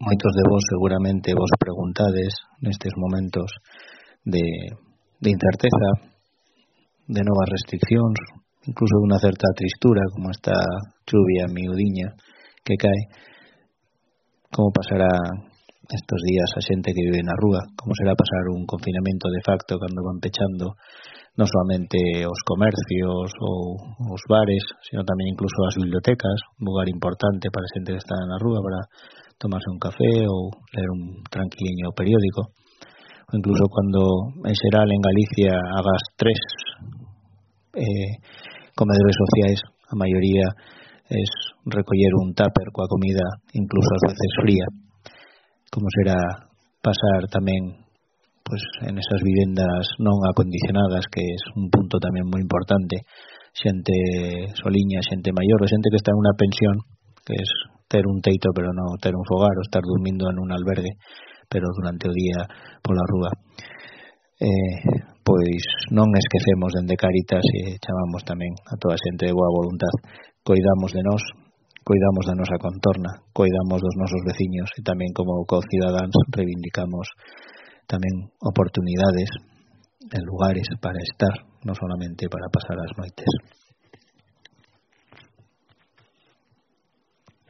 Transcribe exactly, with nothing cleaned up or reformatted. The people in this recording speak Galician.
Moitos de vos seguramente vos preguntades nestes momentos de, de incerteza, de novas restriccións, incluso de unha certa tristura, como esta chuvia miudiña que cae, como pasará estos días a xente que vive na rúa, como será pasar un confinamento de facto cando van pechando non solamente os comercios ou os bares, sino tamén incluso as bibliotecas, un lugar importante para a xente que está na rúa para tomarse un café ou ler un tranquiliño periódico, ou incluso cando en xeral en Galicia hagas tres eh, comedores sociais, a maioría es recoller un tupper coa comida incluso ás veces fría, como será pasar tamén pues en esas vivendas non acondicionadas, que es un punto tamén moi importante, xente soliña, xente maior, ou xente que está en unha pensión, que es ter un teito pero non ter un fogar, ou estar dormindo en un albergue pero durante o día pola rúa. Eh, pois non esquecemos dende Cáritas e chamamos tamén a toda a xente de boa voluntad, coidamos de nós, coidamos da nosa contorna, coidamos dos nosos veciños e tamén como co-cidadáns reivindicamos tamén oportunidades en lugares para estar, non solamente para pasar as noites.